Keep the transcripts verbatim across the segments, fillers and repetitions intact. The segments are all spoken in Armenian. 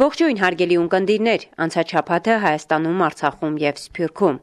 Ողջույն հարգելի ունկնդիրներ, անցաչափաթը Հայաստանում, Արցախում եւ Սփյուռքում։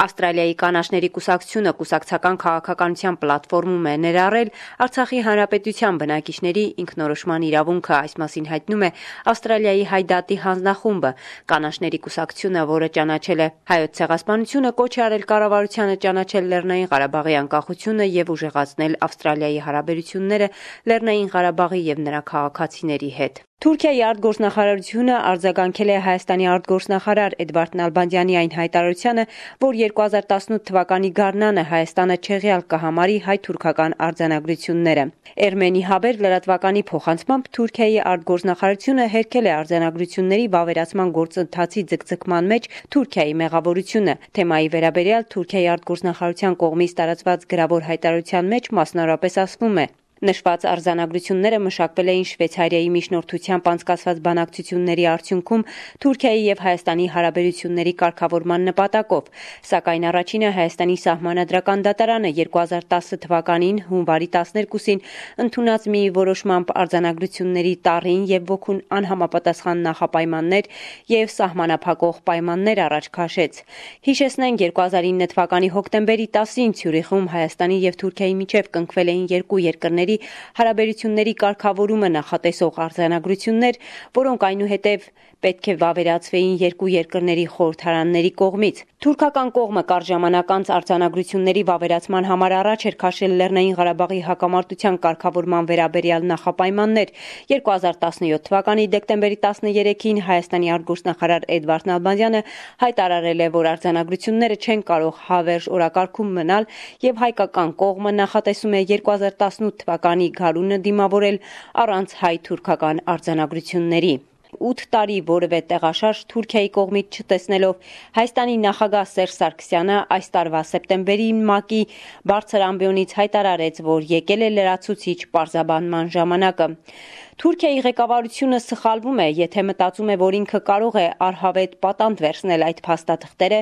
Ավստրալիայի կանաչների կուսակցությունը կուսակցական քաղաքականության պլատֆորմում է ներառել Արցախի հանրապետության բնակիչների ինքնորոշման իրավունքը, այս մասին հայտնում է Ավստրալիայի Հայ դատի հանձնախումբը։ Կանաչների կուսակցությունը, որը ճանաչել է Հայոց ցեղասպանությունը, կոչ է արել կառավարությանը ճանաչել Լեռնային Ղարաբաղի անկախությունը եւ ուժեղացնել Ավստրալիայի հարաբերությունները Լեռնային Ղարաբաղի եւ նրա քաղաքացիների հետ։ Թուրքիայի արտգործնախարարությունը արձագանքել է Հայաստանի արտգործնախարար Էդվարդ Նալբանդյանի այն հայտարարությանը, որ երկու հազար տասնութ թվականի գարնանը Հայաստանը չեղյալ կհամարի հայ-թուրքական արձանագրությունները։ Էրմենի Հաբեր լրատվականի փոխանցմամբ Թուրքիայի արտգործնախարարությունը հերքել է արձանագրությունների վավերացման գործընթացի ձգձգման մեջ Թուրքիայի մեղավորությունը։ Թեմայի վերաբերյալ Թուրքիայի արտգործնախարարության կողմից տարածված գրավոր հայտարարության մեջ մասնավորապես ասվում է. Նշված արձանագրությունները մշակվել էին Շվեյցարիայի միջնորդությամբ անցկացված բանակցությունների արդյունքում Թուրքիայի եւ Հայաստանի հարաբերությունների կարգավորման նպատակով, սակայն առաջինը Հայաստանի սահմանադրական դատարանը երկու հազար տասը թվականին հունվարի տասներկուսին ընդունած մի որոշմամբ արձանագրությունների տառին եւ ոգուն անհամապատասխան նախապայմաններ եւ սահմանափակող պայմաններ առաջ քաշեց։ Հիշեցնենք երկու հազար ինը թվականի հոկտեմբերի տասին Ցյուրիխում Հայաստանի եւ Թուրքիայի միջև կնքվել էին երկու երկրների հարաբերությունների կարգավորումը նախատեսող արձանագրություններ, որոնք այնուհետև պետք է վավերացվեին երկու երկրների խորհրդարանների կողմից։ Թուրքական կողմը կարճ ժամանակ անց արձանագրությունների վավերացման համար առաջ էր քաշել Լեռնային Ղարաբաղի հակամարտության կարգավորման վերաբերյալ նախապայմաններ։ երկու հազար տասնյոթ թվականի դեկտեմբերի տասներեքին Հայաստանի արտգործնախարար Էդվարդ Նալբանդյանը հայտարարել է, որ արձանագրությունները չեն կարող հավերժ օրակարգում մնալ եւ հայկական կողմը նախատեսում է երկու հազար տասնութ թվականի գարունը դիմավորել առանց հայ-թուրքական արձանագրությունների։ ութ տարի որևէ տեղաշարժ Թուրքիայի կողմից չտեսնելով Հայաստանի նախագահ Սերժ Սարգսյանը այս տարվա սեպտեմբերին ՄԱԿ-ի բարձր ամբիոնից հայտարարեց, որ եկել է լրացուցիչ պարզաբանման ժամանակը։ Թուրքիայի ղեկավարությունը սխալվում է, եթե մտածում է, որ ինքը կարող է առհավետ պատանդ վերցնել այդ փաստաթղթերը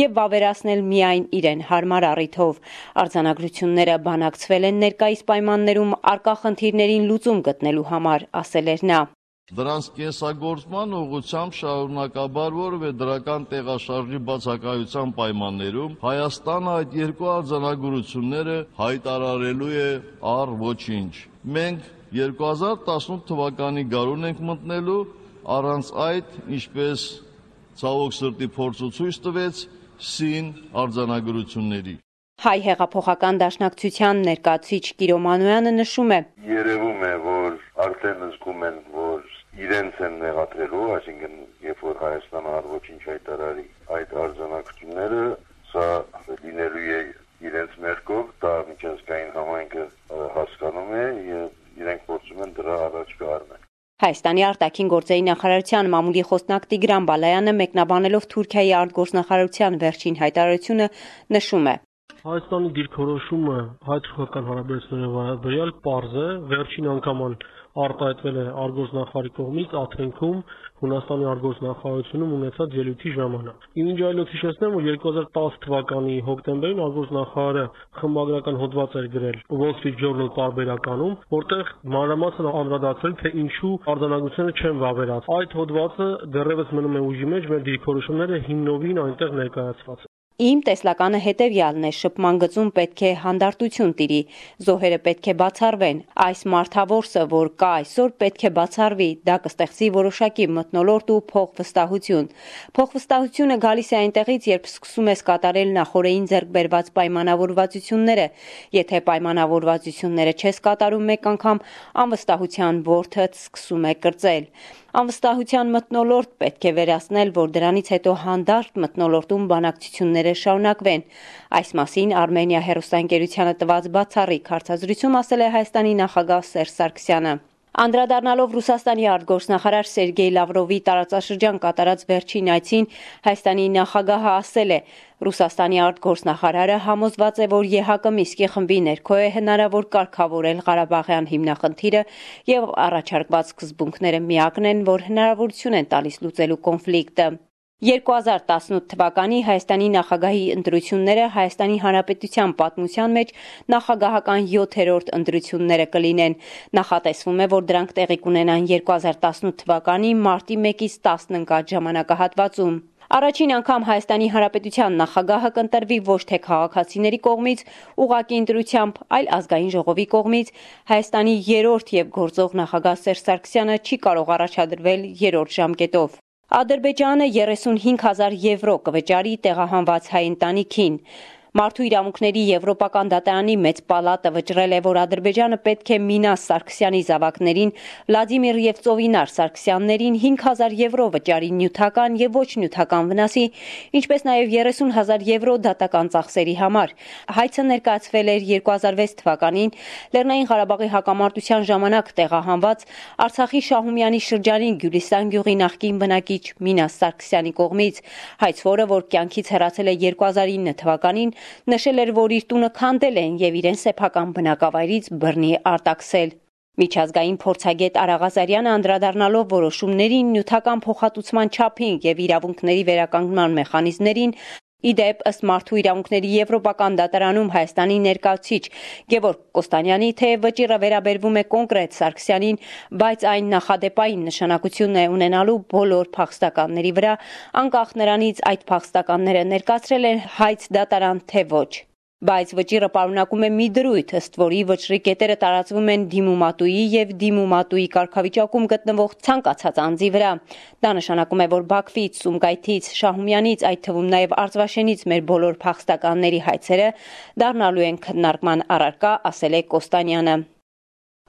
եւ վավերացնել միայն իրեն հարմար առիթով։ Արձանագրությունները բանակցվել են ներկայիս պայմաններում առկա խնդիրներին լուծում գտնելու համար, ասել էր նա։ Դրանց կենսագործման ուղղությամբ շարունակաբար որևէ դրական տեղաշարժի բացակայության պայմաններում Հայաստանը այդ երկու արձանագրությունները հայտարարելու է առ ոչինչ։ Մենք երկու հազար տասնութ թվականի գարուն ենք մտնելու, առանց այդ, ինչպես ցավոք սրտի փորձը ցույց տվեց, սին արձանագրությունների։ Հայ հեղափոխական դաշնակցության ներկայացուցիչ Կիրո Մանոյանը նշում է. Երևում է, որ արդեն զգում են, որ իրենց են նեղացրելու, այսինքն երբ որ Հայաստանը առ ոչինչ հայտարարի այդ արձանագրությունները, սա լինելու է իրենց մեղքով, դա միջազգային համայնքը հասկանում է եւ իրենք փորձում են դրա առաջ կառնել։ Հայաստանի արտաքին գործերի նախարարության մամուլի խոսնակ Տիգրան Բալայանը մեկնաբանելով Թուրքիայի արտգործնախարարության վերջին հայտարարությունը նշում է. Հայաստանի դիրքորոշումը հայ-թուրքական հարաբերությունների վերաբերյալ պարզ է, վերջին անգամ արտահայտվել է արտգործնախարարի կողմից Աթենքում Հունաստանի արտգործնախարարությունում ունեցած ելույթի ժամանակ։ Ինչ այլոց հիշեցնեմ, որ երկու հազար տասը թվականի հոկտեմբերին արտգործնախարարը խմբագրական հոդված էր գրել Wall Street Journal տարբերականում, որտեղ մանրամասն անդրադարձել, թե ինչու արձանագրությունները չեն վավերացվել։ Այդ հոդվածը դեռևս մնում է ուժի մեջ, մեր դիրքորոշումները հիմնովին այնտեղ ներկայացված։ Իմ տեսլականը հետևյալն է, շփման գծում պետք է հանդարտություն տիրի, զոհերը պետք է բացառվեն, այս մարդավորսը, որ կա այսօր, պետք է բացառվի, դա կստեղծի որոշակի մթնոլորտ ու փոխվստահություն։ Փոխվստահությունը գալիս է այնտեղից, երբ սկսում ես կատարել նախորդին ձեռք բերված պայմանավորվածությունները, եթե պայմանավորվածությունները չես կատարում մեկ անգամ, անվստահության որդդ սկսում է կրծել։ Անվստահության մթնոլորտ պետք է վերացնել, որ դրանից հետո հանդարտ մթնոլորտում բանակցությունները շարունակվեն։ Այս մասին Արմենիա հեռուստաընկերությանը տված բացառիկ հարցազրույցում ասել է Հայաստանի նախագահ Սերժ Սարգսյանը։ Անդրադառնալով Ռուսաստանի արտգործնախարար Սերգեյ Լավրովի տարածաշրջան կատարած վերջին այցին, Հայաստանի նախագահը ասել է. Ռուսաստանի արտգործնախարարը համոզված է, որ ԵՀԿ Մինսկի խմբի ներքո է հնարավոր կարգավորել Ղարաբաղյան հիմնախնդիրը եւ առաջարկված սկզբունքները միակն են, որ հնարավորություն են տալիս լուծելու կոնֆլիկտը։ երկու հազար տասնութ թվականի Հայաստանի նախագահի ընտրությունները Հայաստանի Հանրապետության պատմության մեջ նախագահական յոթերորդ ընտրությունները կլինեն։ Նախատեսվում է, որ դրանք տեղի կունենան երկու հազար տասնութ թվականի մարտի մեկից տասն ընկած ժամանակահատվածում։ Առաջին անգամ Հայաստանի Հանրապետության նախագահը կընտրվի ոչ թե քաղաքացիների կողմից, ուղղակի ընտրությամբ, այլ ազգային ժողովի կողմից։ Հայաստանի երրորդ եւ գործող նախագահ Սերժ Սարգսյանը չի կարող առաջադրվել երրորդ ժամկետով։ Ադրբեջանը երեսունհինգ հազար եվրո կվճարի տեղահանված հայ ընտանիքին։ Մարդու իրավունքների Եվրոպական դատարանի մեծ պալատը վճռել է, որ Ադրբեջանը պետք է Մինաս Սարգսյանի զավակներին, Վլադիմիր եւ Ծովինար Սարգսյաններին հինգ հազար եվրո վճարի նյութական եւ ոչ նյութական վնասի, ինչպես նաեւ երեսուն հազար եվրո դատական ծախսերի համար։ Հայցը ներկայացվել էր երկու հազար վեց թվականին Լեռնային Ղարաբաղի հակամարտության ժամանակ տեղահանված Արցախի Շահումյանի շրջանի Գյուլիստան գյուղի նախկին բնակիչ Մինաս Սարգսյանի կողմից։ Հայցվորը, որ կյանքից հեռացել է երկու հազար ինը թվականին, նշել էր, որ իր տունը քանդել են եւ իրեն սեփական բնակավայրից բռնի արտաքսել։ Միջազգային փորձագետ Արա Ղազարյանը անդրադառնալով որոշումներին, նյութական փոխհատուցման չափին եւ իրավունքների վերականգնման մեխանիզմներին, իդեպ ըստ Մարդու իրավունքների Եվրոպական դատարանում Հայաստանի ներկայացուցիչ Գևորգ Կոստանյանի, թեև վճիռը վերաբերվում է կոնկրետ Սարգսյանին, բայց այն նախադեպային նշանակություն է ունենալու բոլոր փախստականների վրա, անկախ նրանից այդ փախստականները ներկայացրել են հայց դատարան թե ոչ։ Բայց վճիռը պարունակում է մի դրույթ, ըստ որի վճռի կետերը տարածվում են դիմումատուի եւ դիմումատուի կարգավիճակում գտնվող ցանկացած անձի վրա։ Դա նշանակում է, որ Բաքվից, Սումգայիթից, Շահումյանից, այդ թվում նաեւ Արցվաշենից մեր բոլոր փախստականների հայցերը դառնալու են քննարկման առարկա, ասել է Կոստանյանը։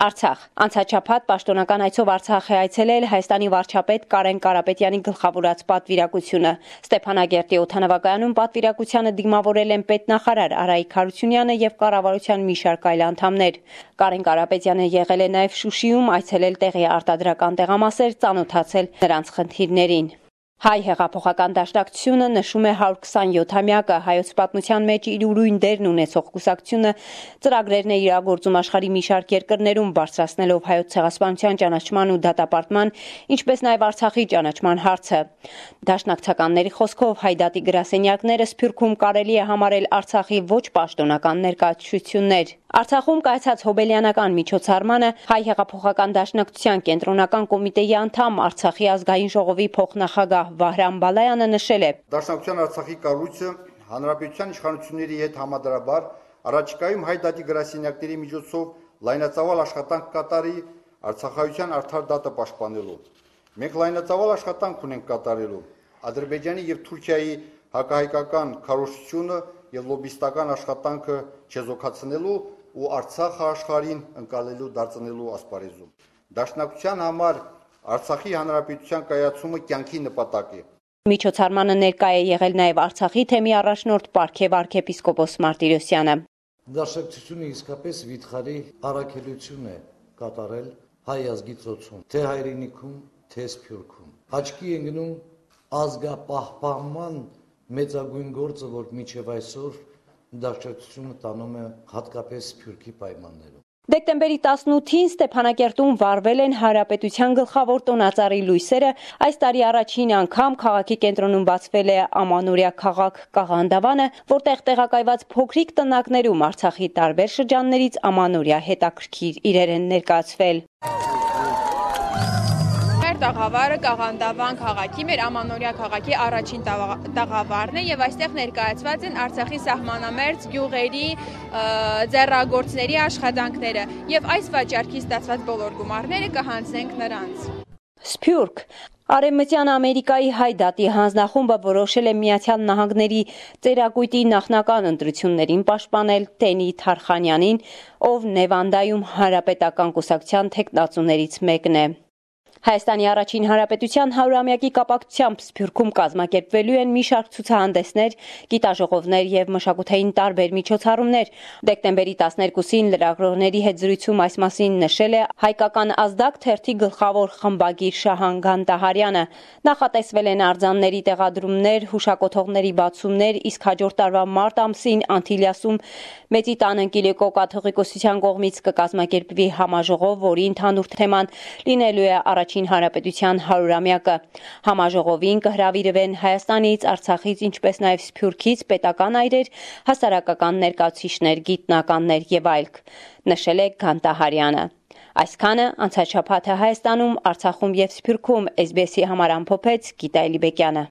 Արցախ անցաչափած պաշտոնական այցով Արցախ է այցելել Հայաստանի վարչապետ Կարեն Կարապետյանի գլխավորած պատվիրակությունը։ Ստեփանագերտի օդանավակայանում պատվիրակությանը դիմավորել են պետնախարար Արայիկ Հարությունյանը եւ կառավարության մի շարք այլ անդամներ։ Կարեն Կարապետյանը եղել է նաեւ Շուշիում, այցելել տեղի արտադրական տեղամասեր, ծանոթացել նրանց խնդիրներին։ Հայ հեղափոխական դաշնակցությունը նշում է հարյուր քսանյոթամյակը հայոց պատմության մեջ իր ուրույն դերն ունեցող կուսակցությունը ծրագրերն է իրագործում աշխարհի մի շարք երկրներում բարձրացնելով հայոց ցեղասպանության ճանաչման ու դատապարտման, ինչպես նաև Արցախի ճանաչման հարցը։ Դաշնակցականների խոսքով հայ դատի գրասենյակները Սփյուռքում կարելի է համարել Արցախի ոչ պաշտոնական ներկայացություններ։ Արցախում կայացած հոբելյանական միջոցառմանը Հայ հեղափոխական դաշնակցության կենտրոնական կոմիտեի անդամ Արցախի ազգային ժողովի փոխնախագահ Վահրամ Բալայանը նշել է. Դաշնակցության Արցախի կառույցը հանրապետության իշխանությունների հետ համադրաբար առաջիկայում հայ դատի գրասենյակների միջոցով լայնածավալ աշխատանք կատարի Արցախայության արդար դատը պաշտպանելու։ Մենք լայնածավալ աշխատանք ունենք կատարելու Ադրբեջանի եւ Թուրքիայի հակահայկական քարոզչությունը եւ լոբիստական աշխատանքը չեզոքացնելու ու Արցախը աշխարհին ընկալելու դարձնելու ասպարեզում։ Դաշնակցության համար Արցախի հանրապետության կայացումը կյանքի նպատակ է։ Միջոցառմանը ներկա է եղել նաև Արցախի թեմի առաջնորդ Պարքև arczepiskopos Martirosyan-ը։ Դաշնակցությունը իսկապես վիթխարի առաքելություն է կատարել հայ ազգի ծոցում, թե հայրենիքում, թե Սփյուռքում։ Աչքի է գնում ազգապահպանման մեծագույն գործը, որ մինչև այսօր դաշնակցությունը տանում է հատկապես Սփյուռքի պայմաններում։ Դեկտեմբերի տասնութին Ստեփանակերտում վարվել են Հանրապետության գլխավոր տոնածառի լույսերը, այս տարի առաջին անգամ քաղաքի կենտրոնում բացվել է ամանորյա քաղաք Կաղանդավանը, որտեղ տեղակայված փոքրիկ տնակներում Արցախի տարբեր շրջաններից ամանորյա հետաքրքիր իրեր են ներկայացվել։ Տաղավարը Կաղանդավան քաղաքի, մեր ամանորյա քաղաքի առաջին տաղավարն է եւ այստեղ ներկայացված են Արցախի սահմանամերձ գյուղերի ձեռագործների աշխատանքները եւ այս վաճառքի ստացված բոլոր գումարները կհանձնենք նրանց։ Սփյուռք Արևմտյան Ամերիկայի հայ դատի հանձնախումբը որոշել է Միացյալ Նահանգների ծերակույտի նախնական ընտրություններին պաշտպանել Տենի Թարխանյանին, ով Նևանդայում հանրապետական կուսակցության թեկնածուներից մեկն է։ Հայաստանի առաջին հանրապետության հարյուրամյակի կապակցությամբ Սփյուռքում կազմակերպվելու են մի շարք ցուցահանդեսներ, գիտաժողովներ եւ մշակութային տարբեր միջոցառումներ։ Դեկտեմբերի տասներկուսին լրագրողների հետ զրույցում այս մասին նշել է հայկական ազդակ թերթի գլխավոր խմբագիր Շահան Գանտահարյանը։ Նախատեսվել են արձանների տեղադրումներ, հուշակոթողների բացումներ, իսկ հաջորդ տարվա մարտ ամսին Անտիլիասում Մեծի տան Ընկիլիկո կաթողիկոսության կողմից կկազմակերպվի համաժողով, որի ընդհանուր թեման լինելու է առաջին առաջին հանրապետության հարյուրամյակը։ Համաժողովին կհրավիրվեն Հայաստանից, Արցախից, ինչպես նաև Սփյուռքից պետական այրեր, հասարակական ներկայացուցիչներ, գիտնականներ եւ այլք, նշել է Գանտահարյանը։ Այսքանը անցած շաբաթը Հայաստանում, Արցախում եւ Սփյուռքում էս բի էսի համար ամփոփեց Գիտա Էլիբեկյանը։